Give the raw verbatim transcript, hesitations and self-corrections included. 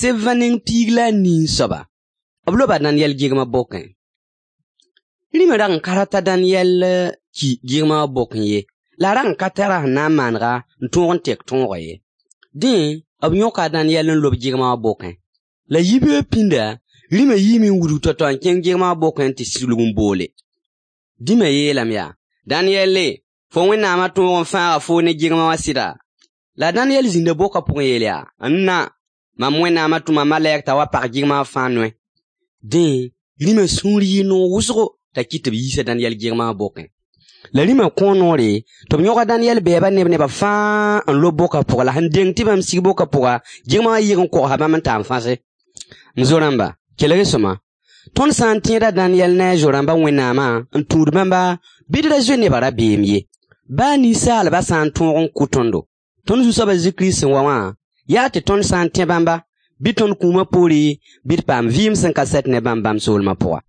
sebã neng piig la a nii soaba, b loba Daniyɛl gɩgmã bokẽ. Rĩmã rag n ka rat t'a Daniyɛl ki gɩgmã wã bokẽ ye, la a rag n ka tar a sẽn na n maanega n tõog n tek tõogã ye. Dẽ, b yõka a Daniyɛl n lob gɩgmã wã bokẽ. La yibeoog pĩnda, rĩmã yiime n wudg tao-tao n kẽng gɩgmã wã bokẽ n tɩ sulg n boole. Dĩmã yeelame yaa: Daniyɛle, fo Wẽnnaamã tõog n fãaga foo ne gɩgmã wã sɩda? La Daniyɛl zĩnda bokã pʋgẽ yeel yaa: N-na, mam Wẽnnaamã tʋma malɛk t'a wa pag gɩgmã wã fãa noe. Dẽ, rĩmã sũur yɩɩ noog wʋsgo t'a kɩt tɩ b yiisa Daniyɛl gɩgmã wã bokẽ. La rĩmã kõo noore tɩ b yõg a Daniyɛl bɛɛba ne b nebã fãa n lob bokã pʋga, la sẽn deng tɩ bãmb sig bokã pʋga, gɩgmã wã yɩg n kogsa bãmb n ta n fãse. M zo-rãmba, kelg-y sõma, tõnd sã n tẽed a Daniyɛl ne a zo-rãmba Wẽnnaamã n tũud bãmba, bɩ d ra zoe nebã rabeem ye. Baa ninsaalbã sã n tõog n kʋ tõndo, tõnd Zu-soab a Zezi Kirist sẽn wa wã, yaa tɩ tõnd sã n tẽ bãmba, bɩ tõnd kũumã poore, bɩ d paam vɩɩm sẽn ka sɛt ne bãmb bãmb soolmã pʋga.